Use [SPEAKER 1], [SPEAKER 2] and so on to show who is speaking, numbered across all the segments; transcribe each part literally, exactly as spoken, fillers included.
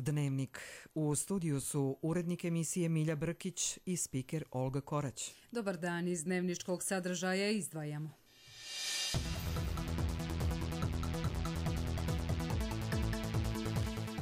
[SPEAKER 1] Dnevnik. U studiju su urednik emisije Milja Brkić i spiker Olga Korać.
[SPEAKER 2] Dobar dan, iz dnevničkog sadržaja izdvajamo.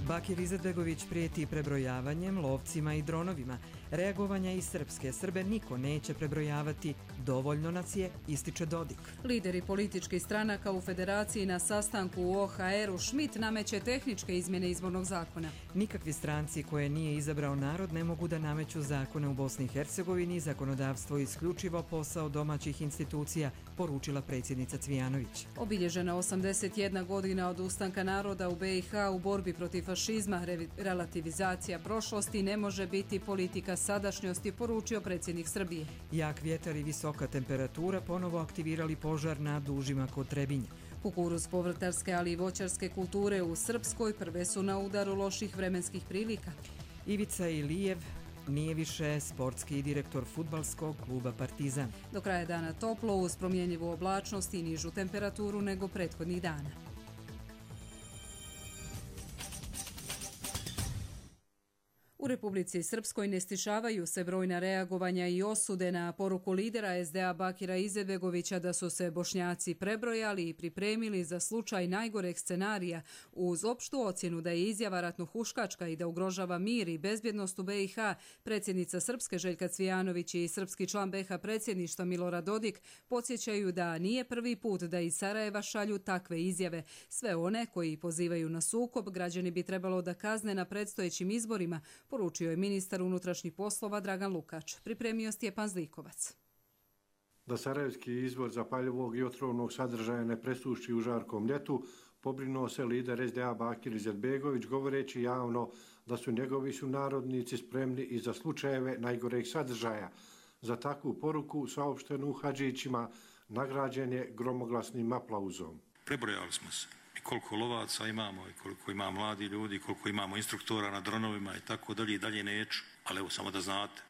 [SPEAKER 1] Bakir Izetbegović prijeti prebrojavanjem, lovcima i dronovima. Reagovanja iz Srpske. Srbe niko neće prebrojavati, dovoljno nas je, ističe Dodik.
[SPEAKER 2] Lideri političkih stranaka u Federaciji na sastanku u O H R-u Schmidt nameće tehničke izmjene izbornog zakona.
[SPEAKER 1] Nikakvi stranci koje nije izabrao narod ne mogu da nameću zakone u Bosni i Hercegovini, zakonodavstvo isključivo posao domaćih institucija, poručila predsjednica Cvijanović.
[SPEAKER 2] Obilježena osamdeset jedna godina od ustanka naroda u B i H u borbi protiv fašizma, relativizacija prošlosti ne može biti politika sadašnjosti, poručio predsjednik Srbije.
[SPEAKER 1] Jak vjetar i visoka temperatura ponovo aktivirali požar na dužima kod Trebinja.
[SPEAKER 2] Kukuruz povrtarske, ali i voćarske kulture u Srpskoj prve su na udaru loših vremenskih prilika.
[SPEAKER 1] Ivica Ilijev nije više sportski direktor fudbalskog kluba Partizan.
[SPEAKER 2] Do kraja dana toplo uz promjenjivu oblačnost i nižu temperaturu nego prethodnih dana. U Republici Srpskoj ne stišavaju se brojna reagovanja i osude na poruku lidera S D A Bakira Izetbegovića da su se Bošnjaci prebrojali i pripremili za slučaj najgoreg scenarija uz opštu ocjenu da je izjava ratnohuškačka i da ugrožava mir i bezbjednost u B i H. Predsjednica Srpske Željka Cvijanović i srpski član B i H predsjedništva Milorad Dodik podsjećaju da nije prvi put da iz Sarajeva šalju takve izjave. Sve one koji pozivaju na sukob građani bi trebalo da kazne na predstojećim izborima, poručio je ministar unutrašnjih poslova Dragan Lukač. Pripremio Stjepan Zlikovac.
[SPEAKER 3] Da sarajevski izvor zapaljivog i otrovnog sadržaja ne presuši u žarkom ljetu, pobrinuo se lider S D A Bakir Izetbegović govoreći javno da su njegovi sunarodnici spremni i za slučajeve najgoreg sadržaja. Za takvu poruku saopštenu Hadžićima nagrađen je gromoglasnim aplauzom.
[SPEAKER 4] Prebrojali smo se. Koliko lovaca imamo i koliko ima mladi ljudi, koliko imamo instruktora na dronovima i tako dalje i dalje neću, ali evo samo da znate.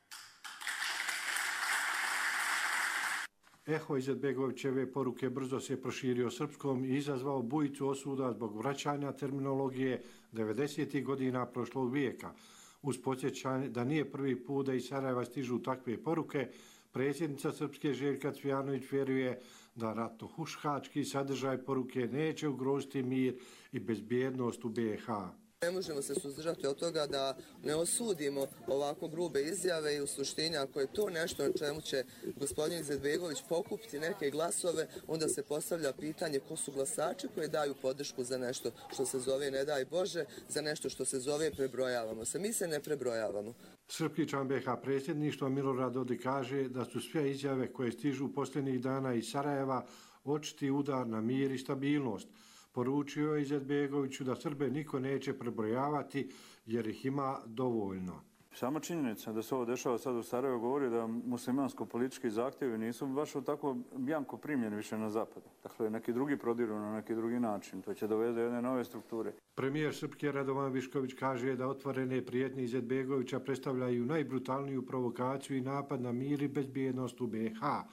[SPEAKER 3] Eho Izetbegovićeve poruke brzo se proširio srpskom i izazvao bujicu osuda zbog vraćanja terminologije devedesetih godina prošlog vijeka. Uz podsjećanje da nije prvi put da iz Sarajeva stižu takve poruke, predsjednica Srpske Željka Cvijanović vjeruje da ratnohuškački sadržaj poruke neće ugroziti mir i bezbjednost u B i H.
[SPEAKER 5] Ne možemo se suzdržati od toga da ne osudimo ovako grube izjave i u suštini ako je to nešto na čemu će gospodin Izetbegović pokupiti neke glasove, onda se postavlja pitanje ko su glasači koji daju podršku za nešto što se zove ne daj Bože, za nešto što se zove prebrojavamo se. Mi se ne prebrojavamo.
[SPEAKER 3] Srpski član B i H predsjedništva Milorad Dodik kaže da su sve izjave koje stižu posljednjih dana iz Sarajeva očiti udar na mir i stabilnost. Poručio je Izetbegoviću da Srbe niko neće prebrojavati jer ih ima dovoljno.
[SPEAKER 6] Sama činjenica da se ovo dešava sad u Sarajevu govori da muslimansko-politički zahtjevi nisu baš tako bjanko primljeni više na zapadu. Dakle, neki drugi prodiru na neki drugi način. To će dovesti do jedne nove strukture.
[SPEAKER 3] Premijer Srpske Radovan Višković kaže da otvorene prijetnje Izetbegovića predstavljaju najbrutalniju provokaciju i napad na mir i bezbjednost u B i H,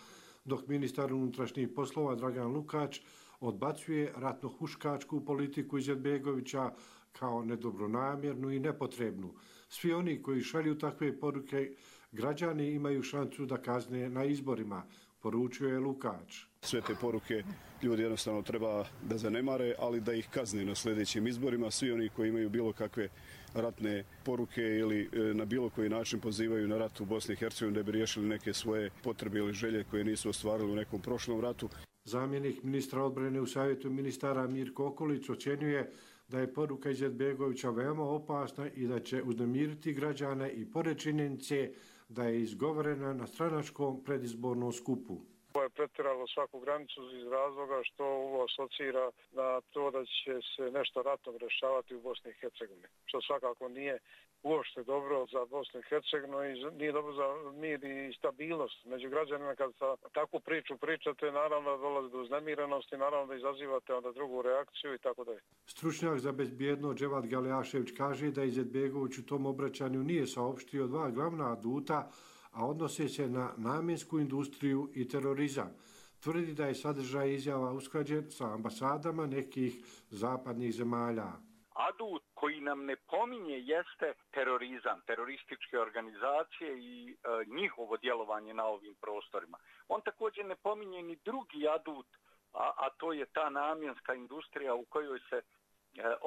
[SPEAKER 3] dok ministar unutrašnjih poslova Dragan Lukač odbacuje ratnohuškačku politiku Izetbegovića kao nedobronamjernu i nepotrebnu. Svi oni koji šalju takve poruke, građani imaju šansu da kazne na izborima, poručio je Lukač.
[SPEAKER 7] Sve te poruke ljudi jednostavno treba da zanemare, ali da ih kazne na sljedećim izborima. Svi oni koji imaju bilo kakve ratne poruke ili na bilo koji način pozivaju na rat u Bosni i Hercegovini da bi riješili neke svoje potrebe ili želje koje nisu ostvarili u nekom prošlom ratu.
[SPEAKER 3] Zamjenik ministra odbrane u savjetu ministara Mirko Okolić ocjenjuje da je poruka Izetbegovića veoma opasna i da će uznemiriti građane i pored činjenice da je izgovorena na stranačkom predizbornom skupu.
[SPEAKER 8] Ovo je pretjeralo svaku granicu iz razloga što ovo asocira na to da će se nešto ratno rješavati u Bosni i Hercegovini, što svakako nije uopšte dobro za Bosnu i Hercegovinu i nije dobro za mir i stabilnost među građanima. Kad sa takvu priču pričate, naravno da dolazi do uznemirenosti, naravno da izazivate onda drugu reakciju i tako dalje.
[SPEAKER 3] Stručnjak za bezbjednost Dževad Galeašević kaže da Izetbegović u tom obraćanju nije saopštio dva glavna aduta, a odnose se na namjensku industriju i terorizam. Tvrdi da je sadržaj izjava usklađen sa ambasadama nekih zapadnih zemalja.
[SPEAKER 9] adut koji nam ne pominje jeste terorizam, terorističke organizacije i e, njihovo djelovanje na ovim prostorima. On također ne pominje ni drugi adut, a, a to je ta namjenska industrija u kojoj se e,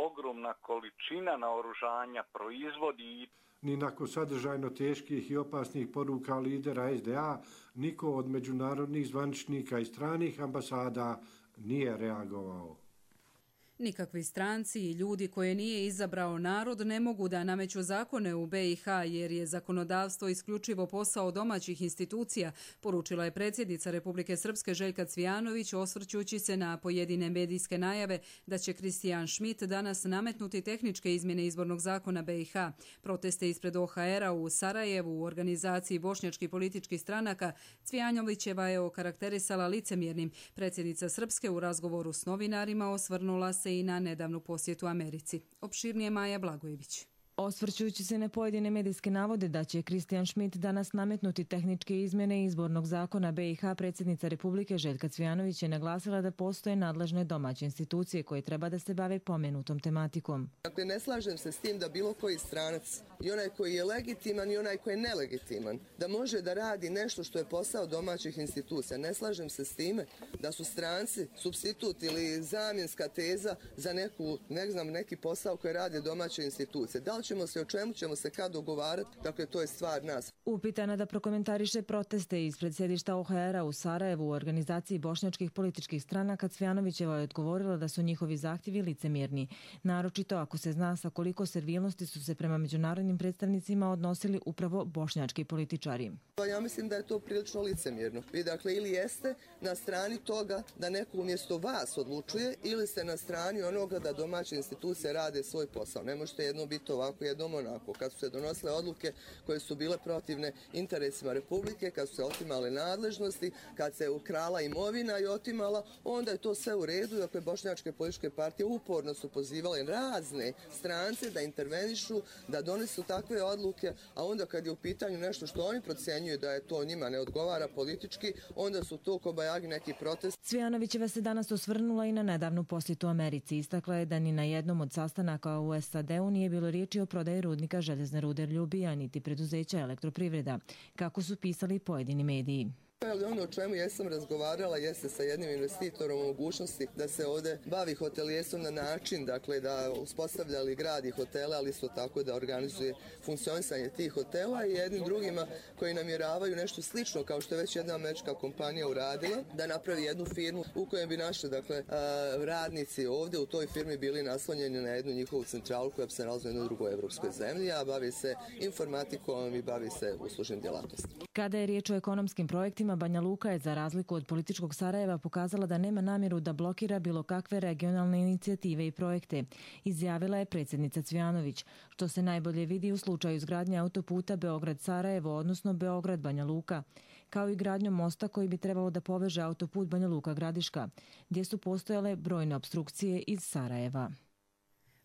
[SPEAKER 9] ogromna količina naoružanja proizvodi.
[SPEAKER 3] Ni nakon sadržajno teških i opasnih poruka lidera es de a, niko od međunarodnih zvaničnika i stranih ambasada nije reagovao.
[SPEAKER 2] Nikakvi stranci i ljudi koje nije izabrao narod ne mogu da nameću zakone u be i ha jer je zakonodavstvo isključivo posao domaćih institucija, poručila je predsjednica Republike Srpske Željka Cvijanović osvrćući se na pojedine medijske najave da će Kristijan Schmidt danas nametnuti tehničke izmjene izbornog zakona be i ha. Proteste ispred o ha era u Sarajevu u organizaciji bošnjačkih političkih stranaka Cvijanovićeva je okarakterisala licemjernim. Predsjednica Srpske u razgovoru s novinarima osvrnula se i na nedavnu posjetu Americi. Opširnije Maja Blagojević.
[SPEAKER 10] Osvrćujući se na pojedine medijske navode da će Kristijan Schmidt danas nametnuti tehničke izmjene izbornog zakona be i ha, predsjednica Republike Željka Cvijanović je naglasila da postoje nadležne domaće institucije koje treba da se bave pomenutom tematikom.
[SPEAKER 5] Dakle, ne slažem se s tim da bilo koji stranac, i onaj koji je legitiman i onaj koji je nelegitiman, da može da radi nešto što je posao domaćih institucija. Ne slažem se s time da su stranci supstitut ili zamjenska teza za neku, ne znam, neki posao koji rade domaće institucije. Da li ćemo se, o čemu ćemo se kad dogovarati, dakle to je stvar nas.
[SPEAKER 10] Upitana da prokomentariše proteste ispred sjedišta o ha era u Sarajevu u organizaciji bošnjačkih političkih stranaka, Cvijanovićeva je odgovorila da su njihovi zahtjevi licemjerni. Naročito ako se zna sa koliko servilnosti su se prema međunarodnim predstavnicima odnosili upravo bošnjački političari.
[SPEAKER 5] Ja mislim da je to prilično licemjerno. Vi dakle ili jeste na strani toga da neko umjesto vas odlučuje ili ste na strani onoga da domaće institucije rade svoj posao. Ne možete jedno biti ovako, jednom onako. Kad su se donosile odluke koje su bile protivne interesima Republike, kad su se otimale nadležnosti, kad se ukrala imovina i otimala, onda je to sve u redu. Dakle, bošnjačke političke partije uporno su pozivale razne strance da intervenišu, da donesu takve odluke, a onda kad je u pitanju nešto što oni procjenjuju da je to njima ne odgovara politički, onda su to kobajagi neki protest.
[SPEAKER 10] Cvijanovićeva se danas osvrnula i na nedavnu posjetu Americi. Istakla je da ni na jednom od sastanaka u es a de u nije bilo riječi o prodaji rudnika željezne rude Ljubija niti preduzeća Elektroprivreda, kako su pisali pojedini mediji.
[SPEAKER 5] Ali ono o čemu jesam razgovarala jeste sa jednim investitorom o mogućnosti da se ovdje bavi hotelijerstvom na način, dakle da uspostavljali grad i hotele, ali isto tako da organizuje funkcionisanje tih hotela i jednim drugima koji namjeravaju nešto slično kao što je već jedna američka kompanija uradila, da napravi jednu firmu u kojoj bi naši dakle, radnici ovdje u toj firmi bili naslonjeni na jednu njihovu centralu koja bi se nalazila u jednoj drugoj evropskoj zemlji, a bavi se informatikom i bavi se uslužnim djelatnostima.
[SPEAKER 10] Kada je riječ o ekonomskim projektima, Banja Luka je za razliku od političkog Sarajeva pokazala da nema namjeru da blokira bilo kakve regionalne inicijative i projekte, izjavila je predsjednica Cvijanović, što se najbolje vidi u slučaju izgradnje autoputa Beograd-Sarajevo, odnosno Beograd-Banja Luka, kao i gradnjom mosta koji bi trebalo da poveže autoput Banja Luka-Gradiška, gdje su postojale brojne opstrukcije iz Sarajeva.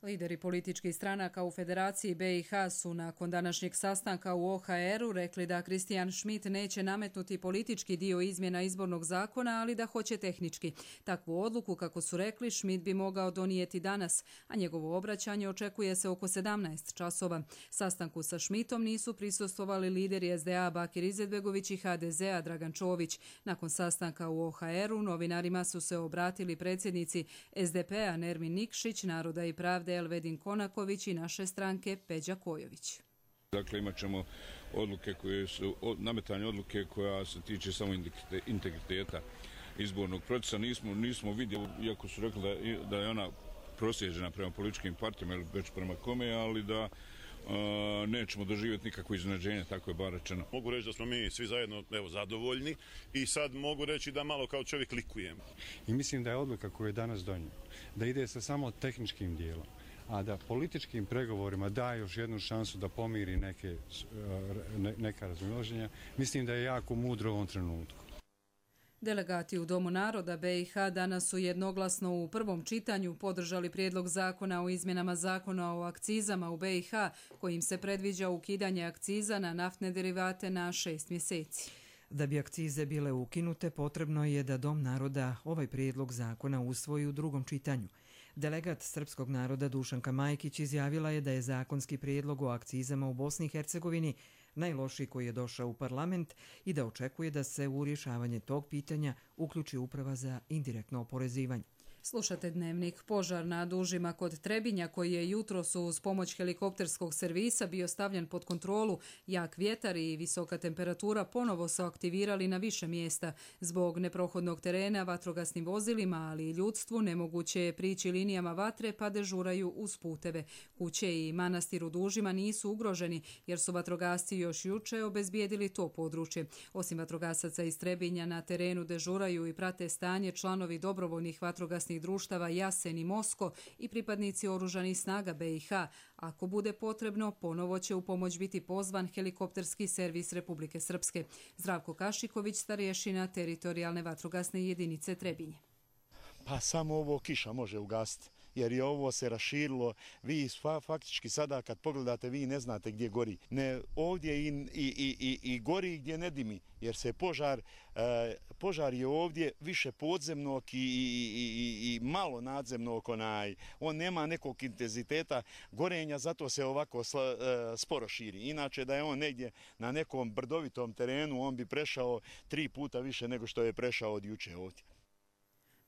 [SPEAKER 2] Lideri političkih stranaka u Federaciji be i ha su nakon današnjeg sastanka u o ha eru rekli da Kristijan Schmidt neće nametnuti politički dio izmjena izbornog zakona, ali da hoće tehnički. Takvu odluku, kako su rekli, Schmidt bi mogao donijeti danas, a njegovo obraćanje očekuje se oko sedamnaest časova. Sastanku sa Schmidtom nisu prisustvovali lideri es de a Bakir Izetbegović i ha de zea Dragan Čović. Nakon sastanka u o ha eru novinarima su se obratili predsjednici es de pe a Nermin Nikšić, Naroda i pravde Elvedin Konaković i naše stranke Peđa Kojović.
[SPEAKER 11] Dakle, imat ćemo odluke koje su, nametanje odluke koja se tiče samo integriteta izbornog procesa. Nismo, nismo vidjeli, iako su rekli da, da je ona prosjeđena prema političkim partijama ili već prema kome, ali da Uh, nećemo doživjeti nikakvo iznenađenje, tako je bar rečeno.
[SPEAKER 12] Mogu reći da smo mi svi zajedno evo, zadovoljni i sad mogu reći da malo kao čovjek likujem.
[SPEAKER 13] I mislim da je odluka koju je danas donio, da ide sa samo tehničkim dijelom, a da političkim pregovorima da još jednu šansu da pomiri neke, ne, neka razilaženja, mislim da je jako mudro u ovom trenutku.
[SPEAKER 2] Delegati u Domu naroda be i ha danas su jednoglasno u prvom čitanju podržali prijedlog zakona o izmjenama zakona o akcizama u be i ha, kojim se predviđa ukidanje akciza na naftne derivate na šest mjeseci.
[SPEAKER 1] Da bi akcize bile ukinute, potrebno je da Dom naroda ovaj prijedlog zakona usvoji u drugom čitanju. Delegat srpskog naroda Dušanka Majkić izjavila je da je zakonski prijedlog o akcizama u Bosni i Hercegovini najlošiji koji je došao u parlament i da očekuje da se u rješavanje tog pitanja uključi uprava za indirektno oporezivanje.
[SPEAKER 2] Slušate Dnevnik. Požar na Dužima kod Trebinja, koji je jutros uz pomoć helikopterskog servisa bio stavljen pod kontrolu, jak vjetar i visoka temperatura ponovo su aktivirali na više mjesta. Zbog neprohodnog terena vatrogasnim vozilima, ali i ljudstvu, nemoguće je prići linijama vatre pa dežuraju uz puteve. Kuće i manastir u Dužima nisu ugroženi jer su vatrogasci još juče obezbijedili to područje. Osim vatrogasaca iz Trebinja na terenu dežuraju i prate stanje članovi dobrovoljnih vatrogasnih društava Jasen i Mosko i pripadnici oružanih snaga be i ha. Ako bude potrebno, ponovo će u pomoć biti pozvan helikopterski servis Republike Srpske. Zdravko Kašiković, starješina teritorijalne vatrogasne jedinice Trebinje.
[SPEAKER 14] Pa samo ovo kiša može ugasiti, jer je ovo se raširilo. Vi faktički sada kad pogledate, vi ne znate gdje gori. Ne, ovdje i, i, i, i gori gdje ne dimi, jer se požar, e, požar je ovdje više podzemnog i, i, i, i malo nadzemnog. Onaj. On nema nekog intenziteta gorenja, zato se ovako sla, e, sporo širi. Inače da je on negdje na nekom brdovitom terenu, on bi prešao tri puta više nego što je prešao od juče ovdje.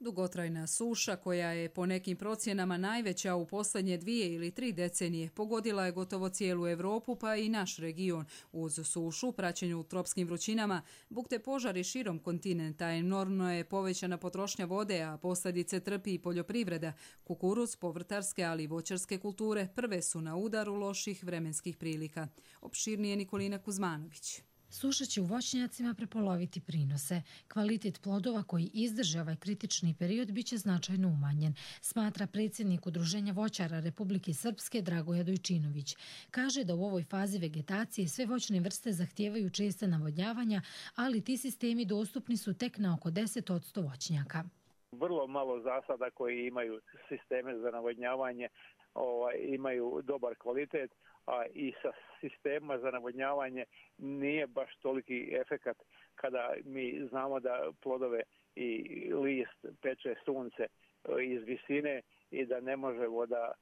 [SPEAKER 2] Dugotrajna suša, koja je po nekim procjenama najveća u posljednje dvije ili tri decenije, pogodila je gotovo cijelu Europu pa i naš region. Uz sušu, praćenju tropskim vrućinama, bukte požari širom kontinenta, enormno je povećana potrošnja vode, a posljedice trpi i poljoprivreda. Kukuruz, povrtarske, ali i voćarske kulture prve su na udaru loših vremenskih prilika. Opširnije Nikolina Kuzmanović.
[SPEAKER 15] Suša će u voćnjacima prepoloviti prinose. Kvalitet plodova koji izdrže ovaj kritični period biće značajno umanjen, smatra predsjednik Udruženja voćara Republike Srpske Dragoje Dojčinović. Kaže da u ovoj fazi vegetacije sve voćne vrste zahtijevaju česte navodnjavanja, ali ti sistemi dostupni su tek na oko deset posto voćnjaka.
[SPEAKER 16] Vrlo malo zasada koji imaju sisteme za navodnjavanje, ovaj, imaju dobar kvalitet, a i sa sistema za navodnjavanje nije baš toliki efekat kada mi znamo da plodove i list peče sunce iz visine i da ne možemo da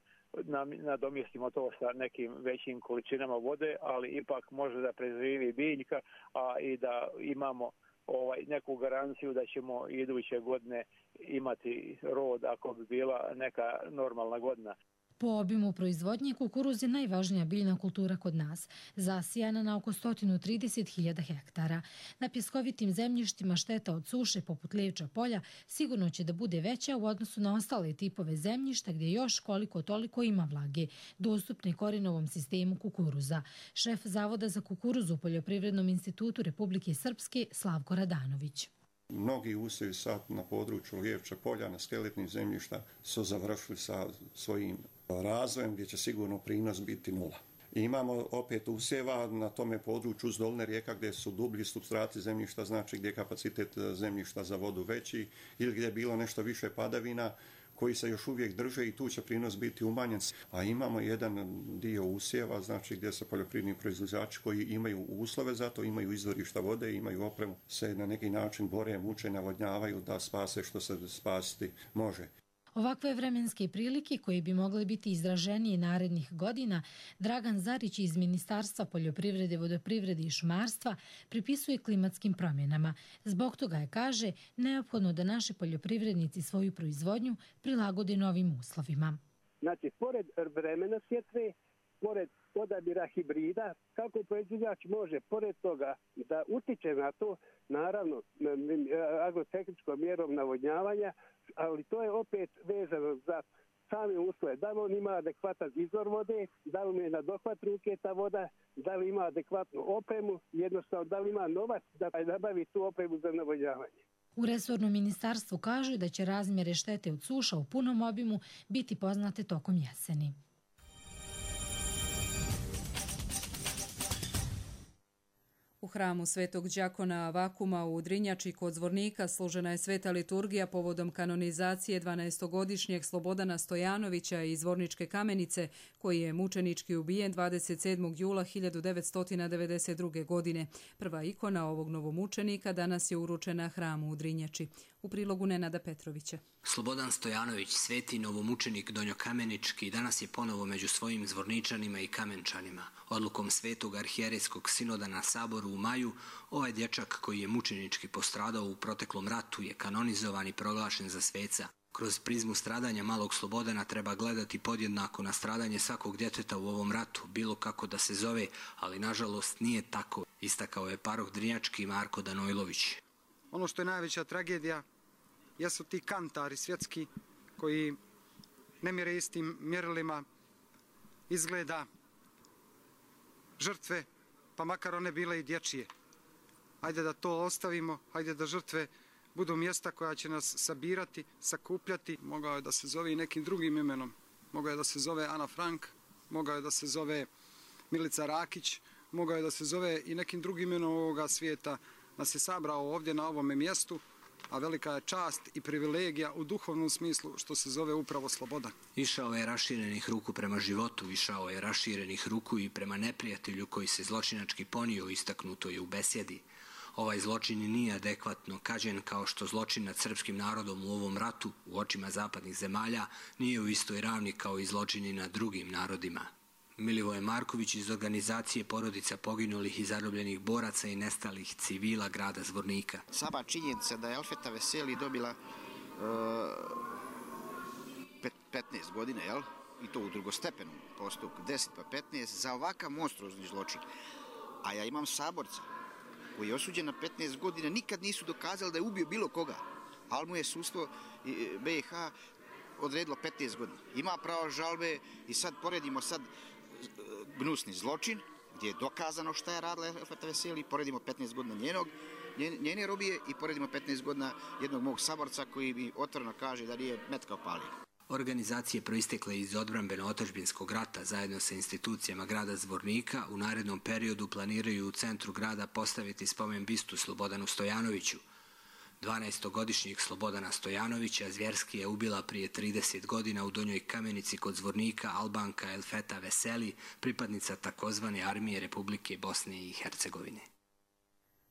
[SPEAKER 16] nadomjestimo to sa nekim većim količinama vode, ali ipak može da preživi biljka, a i da imamo ovaj, neku garanciju da ćemo iduće godine imati rod ako bi bila neka normalna godina.
[SPEAKER 15] Po obimu proizvodnje kukuruz je najvažnija biljna kultura kod nas, zasijana na oko sto trideset hiljada hektara. Na pjeskovitim zemljištima šteta od suše poput Levča polja sigurno će da bude veća u odnosu na ostale tipove zemljišta gdje još koliko toliko ima vlage, dostupne korenovom sistemu kukuruza. Šef Zavoda za kukuruz u Poljoprivrednom institutu Republike Srpske Slavko Radanović.
[SPEAKER 17] Mnogi usjevi sad na području Lijevča polja, na skeletnim zemljišta su završili sa svojim razvojem gdje će sigurno prinos biti nula. I imamo opet usjeva na tome području uz dolne rijeka gdje su dublji supstrati zemljišta, znači gdje je kapacitet zemljišta za vodu veći ili gdje je bilo nešto više padavina koji se još uvijek drže i tu će prinos biti umanjen. A imamo jedan dio usjeva, znači gdje se poljoprivredni proizvođači koji imaju uslove za to, imaju izvorišta vode, imaju opremu, se na neki način bore, muče, navodnjavaju da spase što se spasiti može.
[SPEAKER 15] Ovakve vremenske prilike koje bi mogle biti izraženije narednih godina, Dragan Zarić iz Ministarstva poljoprivrede, vodoprivrede i šumarstva pripisuje klimatskim promjenama. Zbog toga je, kaže, neophodno da naši poljoprivrednici svoju proizvodnju prilagode novim uslovima.
[SPEAKER 18] Znači, pored vremena sjetve, pored odabira hibrida, kako proizvođač može pored toga da utiče na to, naravno, agrotehničkom mjerom navodnjavanja, ali to je opet vezano za same uslove. Da li on ima adekvatan izvor vode, da li mu je na dohvat ruke ta voda, da li ima adekvatnu opremu, jednostavno da li ima novac da nabavi tu opremu za navodnjavanje.
[SPEAKER 15] U resornom ministarstvu kažu da će razmjere štete od suša u punom obimu biti poznate tokom jeseni.
[SPEAKER 2] U hramu Svetog đakona Vakuma u Drinjači kod Zvornika služena je sveta liturgija povodom kanonizacije dvanaestogodišnjeg Slobodana Stojanovića iz Zvorničke Kamenice, koji je mučenički ubijen dvadeset sedmog jula hiljadu devetsto devedeset druge. godine. Prva ikona ovog novomučenika danas je uručena hramu u Drinjači. U prilogu Nenada Petrovića.
[SPEAKER 19] Slobodan Stojanović, sveti novomučenik donjokamenički, danas je ponovo među svojim zvorničanima i kamenčanima. Odlukom Svetog arhijerejskog sinoda na saboru u maju, ovaj dječak koji je mučenički postradao u proteklom ratu je kanonizovan i proglašen za sveca. Kroz prizmu stradanja malog Slobodana treba gledati podjednako na stradanje svakog djeteta u ovom ratu, bilo kako da se zove, ali nažalost nije tako, istakao je paroh Drinjački Marko Danojlović.
[SPEAKER 20] Ono što je najveća tragedija jesu ti kantari svjetski koji ne mjere istim mjerilima izgleda žrtve, pa makar one bile i dječije. Hajde da to ostavimo, hajde da žrtve budu mjesta koja će nas sabirati, sakupljati. Mogao je da se zove i nekim drugim imenom. Mogao je da se zove Ana Frank, mogao je da se zove Milica Rakić, mogao je da se zove i nekim drugim imenom ovoga svijeta. Nas je sabrao ovdje na ovome mjestu, a velika je čast i privilegija u duhovnom smislu što se zove upravo sloboda.
[SPEAKER 19] Išao je raširenih ruku prema životu, išao je raširenih ruku i prema neprijatelju koji se zločinački ponio, istaknuto je u besjedi. Ovaj zločin nije adekvatno kažen kao što zločin nad srpskim narodom u ovom ratu u očima zapadnih zemalja nije u istoj ravni kao i zločini nad drugim narodima. Milivoje Marković iz organizacije porodica poginulih i zarobljenih boraca i nestalih civila grada Zvornika.
[SPEAKER 21] Sama činjenica da je Elfeta Veseli dobila uh, petnaest godina, jel? I to u drugostepenom postupku, deset pa petnaest, za ovakav monstruozni zločin. A ja imam saborca koji je osuđen na petnaest godina, nikad nisu dokazali da je ubio bilo koga, ali mu je sudstvo B i H odredilo petnaest godina. Ima pravo žalbe i sad poredimo sad gnusni zločin, gdje je dokazano šta je radila Elfeta Veseli, poredimo petnaest godina njenog, njene robije i poredimo petnaest godina jednog mog saborca koji mi otvoreno kaže da nije metka opalio.
[SPEAKER 19] Organizacije proistekle iz odbrambeno-otadžbinskog rata zajedno sa institucijama grada Zvornika u narednom periodu planiraju u centru grada postaviti spomen bistu Slobodanu Stojanoviću. dvanaestogodišnjeg Slobodana Stojanovića zvjerski je ubila prije trideset godina u Donjoj Kamenici kod Zvornika Albanka Elfeta Veseli, pripadnica takozvane armije Republike Bosne i Hercegovine.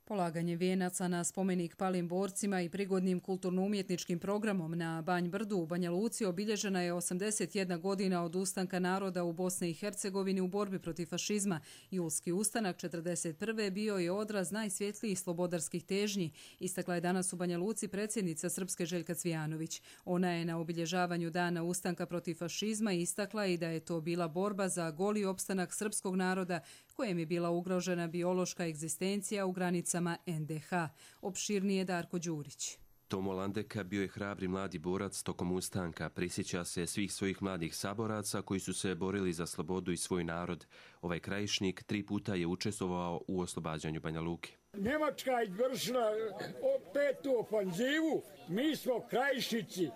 [SPEAKER 2] Polaganje vijenaca na spomenik palim borcima i prigodnim kulturno-umjetničkim programom na Banj Brdu u Banja Luci obilježena je osamdeset jedna godina od ustanka naroda u Bosni i Hercegovini u borbi protiv fašizma. Julski ustanak četrdeset prve bio je odraz najsvjetlijih slobodarskih težnji, istakla je danas u Banja Luci predsjednica Srpske Željka Cvijanović. Ona je na obilježavanju dana ustanka protiv fašizma istakla i da je to bila borba za goli opstanak srpskog naroda kojem je bila ugrožena biološka egzistencija u granicama en de ha. Opširnije Darko Đurić.
[SPEAKER 22] Tomo Landeka bio je hrabri mladi borac tokom ustanka. Prisjeća se svih svojih mladih saboraca koji su se borili za slobodu i svoj narod. Ovaj krajišnik tri puta je učestvovao u oslobađanju Banja Luke.
[SPEAKER 23] Njemačka je izvršila petu ofanzivu, mi smo krajišnici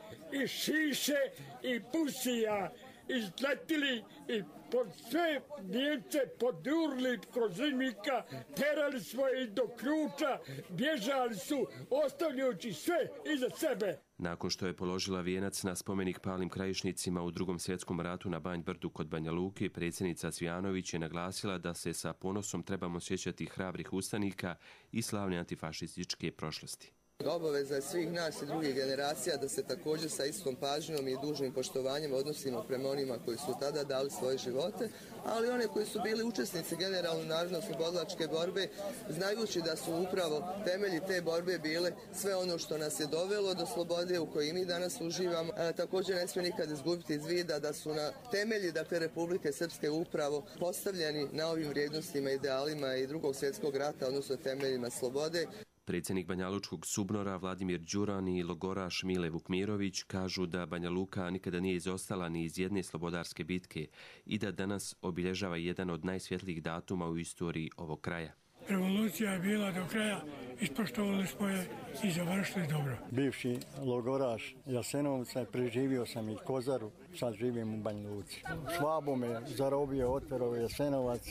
[SPEAKER 23] i Šiše i Pusija izletili i pod sve Njemce podurli kroz Zimnika, terali smo ih do Kruča, bježali su, ostavljajući sve iza sebe.
[SPEAKER 22] Nakon što je položila vijenac na spomenik palim krajišnicima u Drugom svjetskom ratu na Banj Brdu kod Banja Luke, predsjednica Cvijanović je naglasila da se sa ponosom trebamo sjećati hrabrih ustanika i slavne antifašističke prošlosti.
[SPEAKER 5] Obaveza je svih nas i drugih generacija da se također sa istom pažnjom i dužnim poštovanjem odnosimo prema onima koji su tada dali svoje živote, ali one koji su bili učesnici generalno narodno-oslobodilačke borbe, znajući da su upravo temelji te borbe bile sve ono što nas je dovelo do slobode u kojoj mi danas uživamo. A, također ne smije nikad izgubiti iz vida da su na temelji dakle, Republike Srpske upravo postavljeni na ovim vrijednostima, idealima i Drugog svjetskog rata, odnosno temeljima slobode.
[SPEAKER 22] Predsjednik Banjalučkog Subnora Vladimir Đuran i logoraš Mile Vukmirović kažu da Banja Luka nikada nije izostala ni iz jedne slobodarske bitke i da danas obilježava jedan od najsvjetlijih datuma u istoriji ovog kraja.
[SPEAKER 23] Revolucija je bila do kraja ispoštovali smo je i završili dobro.
[SPEAKER 4] Bivši logoraš Jasenovca, preživio sam i Kozaru, sad živim u Banja Luci. Švabo me zarobio, otero Jasenovac,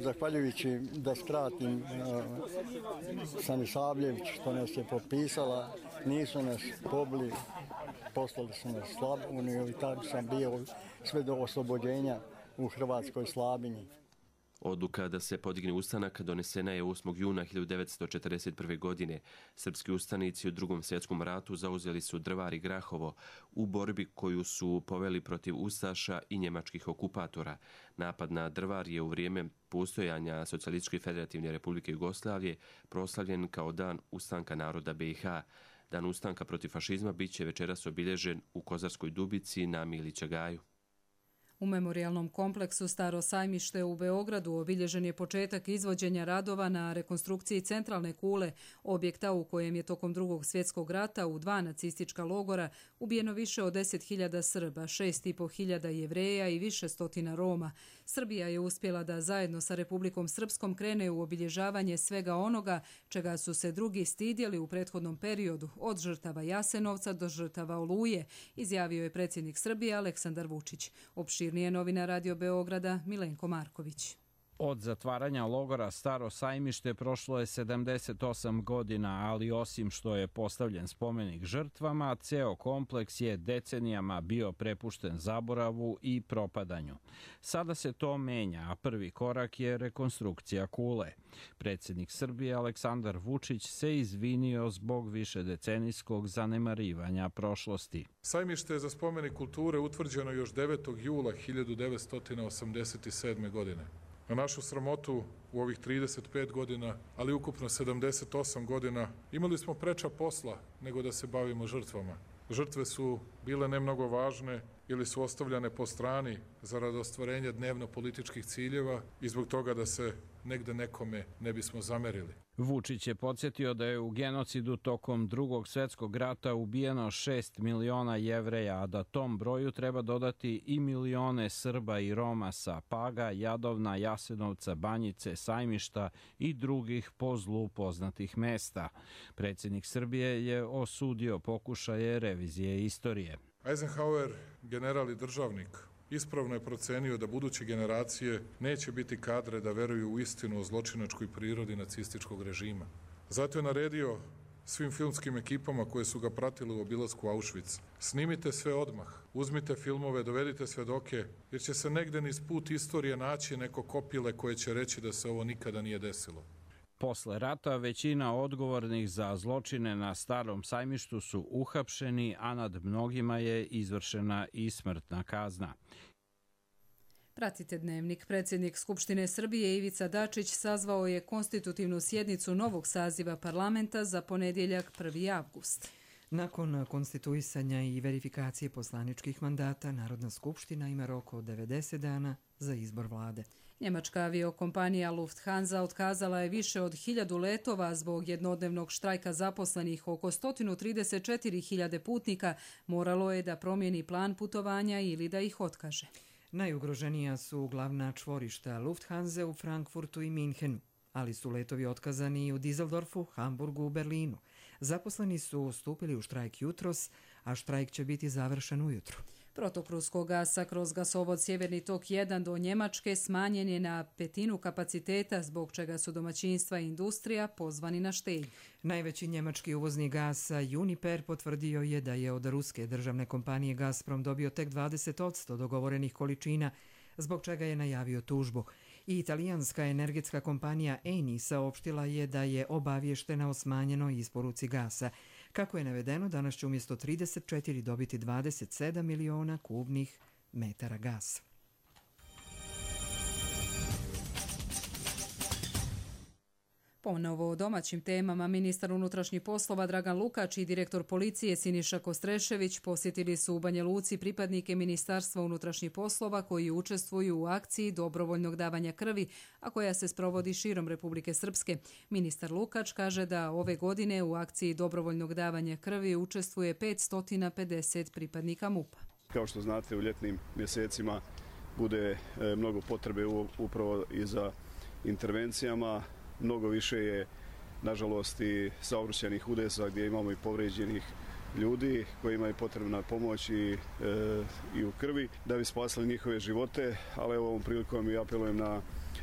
[SPEAKER 4] zahvaljujući da skratim Sanisavljević, što nas je potpisala, nisu nas pobili, poslali su nas Slavoniju i tako sam bio sve do oslobođenja u Hrvatskoj Slabinji.
[SPEAKER 22] Odluka da se podigne ustanak donesena je osmog juna hiljadu devetsto četrdeset prve. godine. Srpski ustanici u Drugom svjetskom ratu zauzeli su Drvar i Grahovo u borbi koju su poveli protiv ustaša i njemačkih okupatora. Napad na Drvar je u vrijeme postojanja Socijalističke federativne republike Jugoslavije proslavljen kao dan ustanka naroda B i H. Dan ustanka protiv fašizma bit će večeras obilježen u Kozarskoj Dubici na Milića Gaju.
[SPEAKER 2] U memorijalnom kompleksu Staro sajmište u Beogradu obilježen je početak izvođenja radova na rekonstrukciji centralne kule, objekta u kojem je tokom Drugog svjetskog rata u dva nacistička logora ubijeno više od deset hiljada Srba, šest i po hiljada Jevreja i više stotina Roma. Srbija je uspjela da zajedno sa Republikom Srpskom krene u obilježavanje svega onoga čega su se drugi stidjeli u prethodnom periodu, od žrtava Jasenovca do žrtava Oluje, izjavio je predsjednik Srbije Aleksandar Vučić. Opširnije novina Radio Beograda Milenko Marković.
[SPEAKER 6] Od zatvaranja logora Staro sajmište prošlo je sedamdeset osam godina, ali osim što je postavljen spomenik žrtvama, ceo kompleks je decenijama bio prepušten zaboravu i propadanju. Sada se to menja, a prvi korak je rekonstrukcija kule. Predsjednik Srbije Aleksandar Vučić se izvinio zbog višedecenijskog zanemarivanja prošlosti.
[SPEAKER 7] Sajmište za spomenik kulture utvrđeno još devetog jula hiljadu devetsto osamdeset sedme. godine. Na našu sramotu u ovih trideset pet godina, ali ukupno sedamdeset osam godina, imali smo preča posla nego da se bavimo žrtvama. Žrtve su bile ne mnogo važne ili su ostavljane po strani zarad ostvarenja dnevno-političkih ciljeva i zbog toga da se negde nekome ne bismo zamerili.
[SPEAKER 6] Vučić je podsjetio da je u genocidu tokom Drugog svjetskog rata ubijeno šest miliona Jevreja, a da tom broju treba dodati i milione Srba i Roma sa Paga, Jadovna, Jasenovca, Banjice, Sajmišta i drugih po zlu poznatih mesta. Predsjednik Srbije je osudio pokušaje revizije istorije.
[SPEAKER 7] Eisenhower, general i državnik, ispravno je procenio da buduće generacije neće biti kadre da veruju u istinu o zločinačkoj prirodi nacističkog režima. Zato je naredio svim filmskim ekipama koje su ga pratile u obilasku Auschwitz: snimite sve odmah, uzmite filmove, dovedite svedoke, jer će se negde niz put istorije naći neko kopile koje će reći da se ovo nikada nije desilo.
[SPEAKER 6] Posle rata većina odgovornih za zločine na Starom sajmištu su uhapšeni, a nad mnogima je izvršena i smrtna kazna.
[SPEAKER 2] Pratite Dnevnik. Predsjednik Skupštine Srbije Ivica Dačić sazvao je konstitutivnu sjednicu novog saziva parlamenta za ponedjeljak prvi avgust.
[SPEAKER 1] Nakon konstituisanja i verifikacije poslaničkih mandata, Narodna skupština ima rok od devedeset dana za izbor vlade.
[SPEAKER 2] Njemačka aviokompanija Lufthansa otkazala je više od hiljadu letova zbog jednodnevnog štrajka zaposlenih. Oko sto trideset četiri hiljade putnika moralo je da promijeni plan putovanja ili da ih otkaže.
[SPEAKER 1] Najugroženija su glavna čvorišta Lufthansa u Frankfurtu i Minhenu, ali su letovi otkazani i u Düsseldorfu, Hamburgu i Berlinu. Zaposleni su stupili u štrajk jutros, a štrajk će biti završen ujutru.
[SPEAKER 2] Protok ruskog gasa kroz gasovod Sjeverni tok jedan do Njemačke smanjen je na petinu kapaciteta, zbog čega su domaćinstva i industrija pozvani na štednju.
[SPEAKER 1] Najveći njemački uvoznik gasa Uniper potvrdio je da je od ruske državne kompanije Gazprom dobio tek dvadeset posto dogovorenih količina, zbog čega je najavio tužbu. I italijanska energetska kompanija Eni saopštila je da je obavještena o smanjenoj isporuci gasa. Kako je navedeno, danas će umjesto trideset četiri dobiti dvadeset sedam miliona kubnih metara gasa.
[SPEAKER 2] Ponovo o domaćim temama, ministar unutrašnjih poslova Dragan Lukač i direktor policije Siniša Kostrešević posjetili su u Banja Luci pripadnike Ministarstva unutrašnjih poslova koji učestvuju u akciji dobrovoljnog davanja krvi, a koja se sprovodi širom Republike Srpske. Ministar Lukač kaže da ove godine u akciji dobrovoljnog davanja krvi učestvuje petsto pedeset pripadnika MUP-a.
[SPEAKER 24] Kao što znate, u ljetnim mjesecima bude mnogo potrebe upravo i za intervencijama. Mnogo više je nažalost i saobraćajnih udesa gdje imamo i povrijeđenih ljudi kojima je potrebna pomoć i, e, i u krvi da bi spasili njihove živote, ali evo ovom prilikom i apelujem na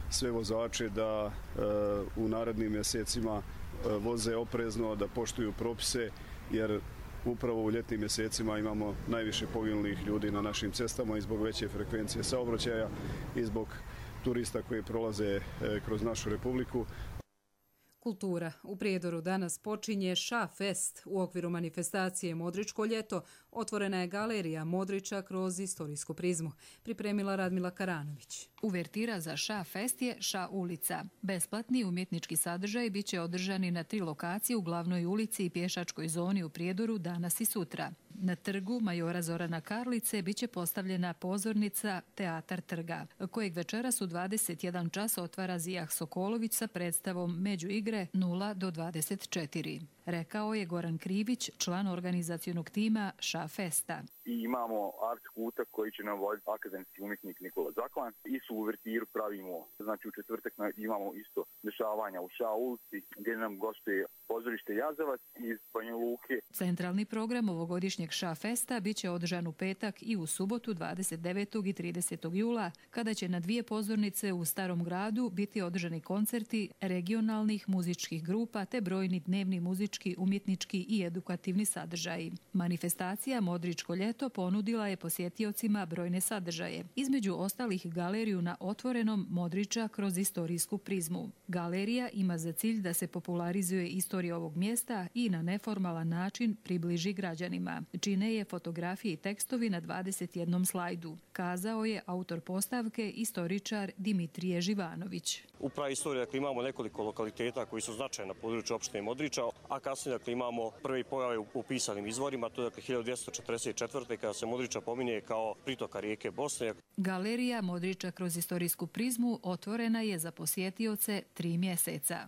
[SPEAKER 24] sve vozače da e, u narednim mjesecima e, voze oprezno, da poštuju propise, jer upravo u ljetnim mjesecima imamo najviše poginulih ljudi na našim cestama i zbog veće frekvencije saobraćaja i zbog turista koji prolaze e, kroz našu republiku.
[SPEAKER 2] Kultura. U Prijedoru danas počinje Ša Fest. U okviru manifestacije Modričko ljeto otvorena je galerija Modrića kroz istorijsku prizmu. Pripremila Radmila Karanović.
[SPEAKER 3] Uvertira za Ša Fest je Ša ulica. Besplatni umjetnički sadržaj bit će održani na tri lokacije u glavnoj ulici i pješačkoj zoni u Prijedoru danas i sutra. Na trgu majora Zorana Karlice bit će postavljena pozornica Teatar trga, kojeg večeras u dvadeset jedan čas otvara Zijah Sokolović sa predstavom Među igre nula do dvadeset četiri. Rekao je Goran Krivić, član organizacionog tima Ša Festa.
[SPEAKER 8] I imamo art kutak koji će nam voditi akademski umjetnik Nikola Zaklan. I su uvertiru pravimo, znači u četvrtak imamo isto dešavanja u Ša ulici gdje nam gostuje pozorište Jazavac iz Banja Luke.
[SPEAKER 3] Centralni program ovogodišnjeg Ša Festa bit će održan u petak i u subotu dvadeset devetog i tridesetog jula, kada će na dvije pozornice u Starom gradu biti održani koncerti regionalnih muzičkih grupa te brojni dnevni muzički, umjetnički i edukativni sadržaji. Manifestacija Modričko ljeto ponudila je posjetiocima brojne sadržaje, između ostalih galeriju na otvorenom Modrića kroz istorijsku prizmu. Galerija ima za cilj da se popularizuje istorija ovog mjesta i na neformalan način približi građanima. Čine je fotografije i tekstovi na dvadeset jednom slajdu, kazao je autor postavke, istoričar Dimitrije Živanović.
[SPEAKER 9] U praistoriji dakle, imamo nekoliko lokaliteta koji su značajni na području opštine Modrića, a kasnije dakle, imamo prvi pojave u pisanim izvorima, to je dakle, hiljadu dvjesto četrdeset četvrte kada se Modrića pominje kao pritoka rijeke Bosne.
[SPEAKER 3] Galerija Modrića kroz istorijsku prizmu otvorena je za posjetioce tri mjeseca.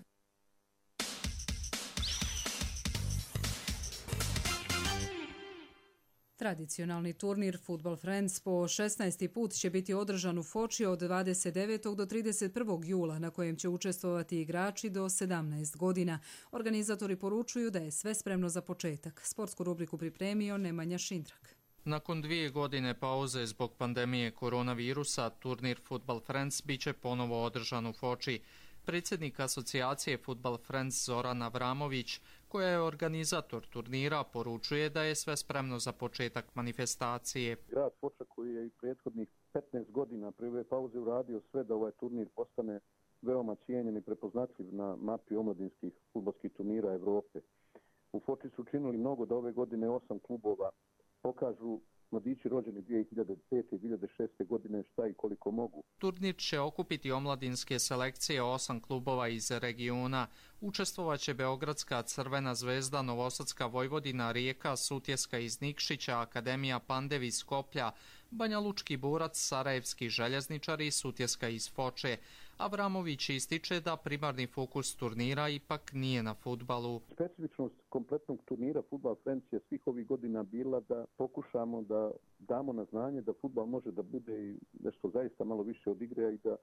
[SPEAKER 2] Tradicionalni turnir Football Friends po šesnaesti put će biti održan u Foči od dvadeset devetog do trideset prvog jula, na kojem će učestvovati igrači do sedamnaest godina. Organizatori poručuju da je sve spremno za početak. Sportsku rubriku pripremio Nemanja Šindrak.
[SPEAKER 10] Nakon dvije godine pauze zbog pandemije koronavirusa, turnir Football Friends biće ponovo održan u Foči. Predsjednik asocijacije Football Friends Zoran Avramović, koja je organizator turnira, poručuje da je sve spremno za početak manifestacije.
[SPEAKER 25] Grad Foča koji je i prethodnih petnaest godina prije ove pauze uradio sve da ovaj turnir postane veoma cijenjen i prepoznatljiv na mapi omladinskih fudbalskih turnira Evrope. U Foči su učinili mnogo da ove godine osam klubova pokažu mladići rođeni dvije hiljade pete i dvije hiljade šeste godine šta i koliko mogu.
[SPEAKER 10] Turnir će okupiti omladinske selekcije osam klubova iz regiona. Učestvovaće Beogradska Crvena zvezda, Novosadska Vojvodina, Rijeka, Sutjeska iz Nikšića, Akademija Pandev iz Skoplja, Banja Lučki Burac, Sarajevski željezničari, Sutjeska iz Foče. Avramović ističe da primarni fokus turnira ipak nije na fudbalu.
[SPEAKER 25] Specifičnost kompletnog turnira Football Friends je svih ovih godina bila da pokušamo da damo na znanje da fudbal može da bude i nešto zaista malo više od igre i da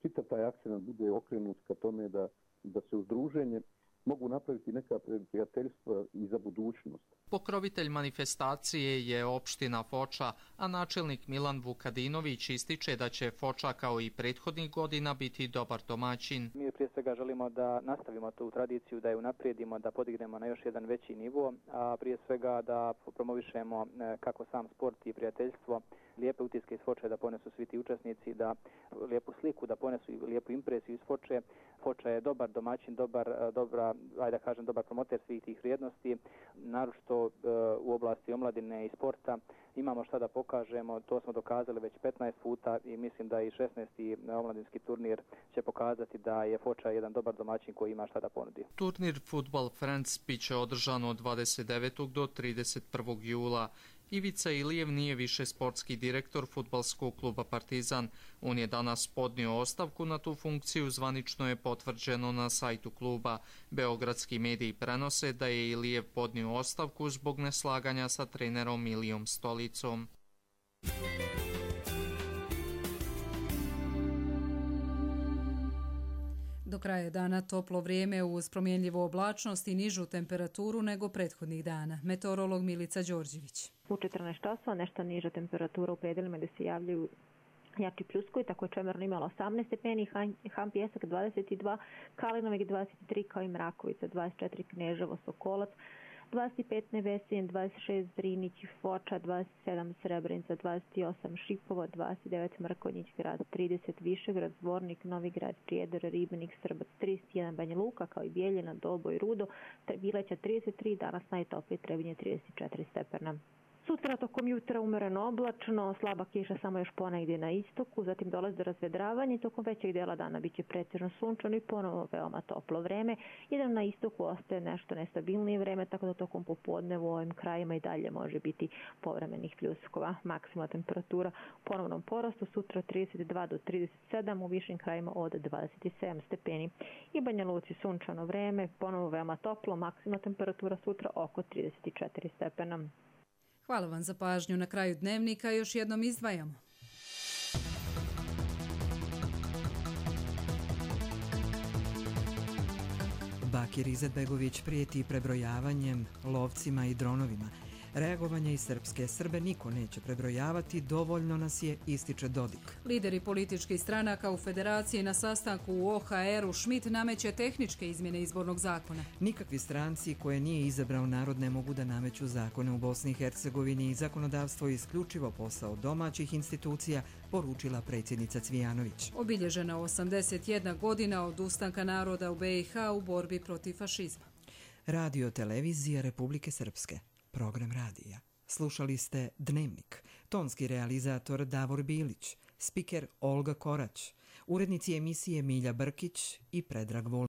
[SPEAKER 25] čitav taj akcent bude okrenut ka tome da, da se uz druženje mogu napraviti neka prijateljstva i za budućnost.
[SPEAKER 10] Pokrovitelj manifestacije je opština Foča, a načelnik Milan Vukadinović ističe da će Foča kao i prethodnih godina biti dobar domaćin.
[SPEAKER 26] Mi prije svega želimo da nastavimo tu tradiciju, da je unaprijedimo, da podignemo na još jedan veći nivo, a prije svega da promovišemo kako sam sport i prijateljstvo, lijepe utiske iz Foče da ponesu svi ti učesnici, da lijepu sliku, da ponesu lijepu impresiju iz Foče. Foča je dobar domaćin, dobar, dobra, ajde da kažem, dobar promoter svih tih vrijednosti, naročito u oblasti omladine i sporta. Imamo šta da pokažemo, to smo dokazali već petnaest puta i mislim da i šesnaesti omladinski turnir će pokazati da je Foča jedan dobar domaćin koji ima šta da ponudi.
[SPEAKER 10] Turnir Football Friends biće održan od dvadeset devetog do trideset prvog jula. Ivica Ilijev nije više sportski direktor fudbalskog kluba Partizan. On je danas podnio ostavku na tu funkciju, zvanično je potvrđeno na sajtu kluba. Beogradski mediji prenose da je Ilijev podnio ostavku zbog neslaganja sa trenerom Milijom Stolicom.
[SPEAKER 2] Do kraja dana toplo vrijeme uz promjenljivu oblačnost i nižu temperaturu nego prethodnih dana. Meteorolog Milica Đorđević.
[SPEAKER 11] U četrnaest časova nešto niža temperatura u predelima gdje se javljaju jači pljuskovi, tako je Čemerno imalo osamnaest stepeni, Han Pjesak dvadeset dva, Kalinovik dvadeset tri, kao i Mrakovica dvadeset četiri, Kneževo, Sokolac dvadeset pet, Nevesin dvadeset šest, Zrinić, Foča dvadeset sedam, Srebrenica dvadeset osam, Šipovo dvadeset devet, Mrkonjić grad trideset, Višegrad, Zvornik, Novigrad, Prijedor, Ribnik, Srbac trideset jedan, Banja Luka, kao i Bijeljina, Dolboj, Rudo, Bileća trideset tri, danas najtoplije Trebinje trideset četiri stepena. Sutra tokom jutra umereno oblačno, slaba kiša samo još ponegdje na istoku, zatim dolazi do razvedravanja i tokom većeg dela dana bit će pretežno sunčano i ponovo veoma toplo vreme. Jedan na istoku ostaje nešto nestabilnije vreme, tako da tokom popodne u ovim krajima i dalje može biti povremenih pljuskova. Maksimalna temperatura u ponovnom porastu sutra trideset dva do trideset sedam, u višim krajima od dvadeset sedam stepeni. I Banja Luci sunčano vreme, ponovo veoma toplo, maksimalna temperatura sutra oko trideset četiri stepena.
[SPEAKER 2] Hvala vam za pažnju. Na kraju dnevnika još jednom izdvajamo.
[SPEAKER 1] Bakir Izetbegović prijeti prebrojavanjem, lovcima i dronovima. Reagovanje iz Srpske: Srbe niko neće prebrojavati, dovoljno nas je, ističe Dodik.
[SPEAKER 2] Lideri političkih stranaka u Federaciji na sastanku u O H R-u Schmidt nameće tehničke izmjene izbornog zakona.
[SPEAKER 1] Nikakvi stranci koje nije izabrao narod ne mogu da nameću zakone u Bosni i Hercegovini i zakonodavstvo je isključivo posao domaćih institucija, poručila predsjednica Cvijanović.
[SPEAKER 2] Obilježena osamdeset jedna godina od ustanka naroda u B i H u borbi protiv fašizma.
[SPEAKER 1] Radio televizija Republike Srpske. Program radija. Slušali ste Dnevnik. Tonski realizator Davor Bilić. Spiker Olga Korać. Urednici emisije Milja Brkić i Predrag Vol.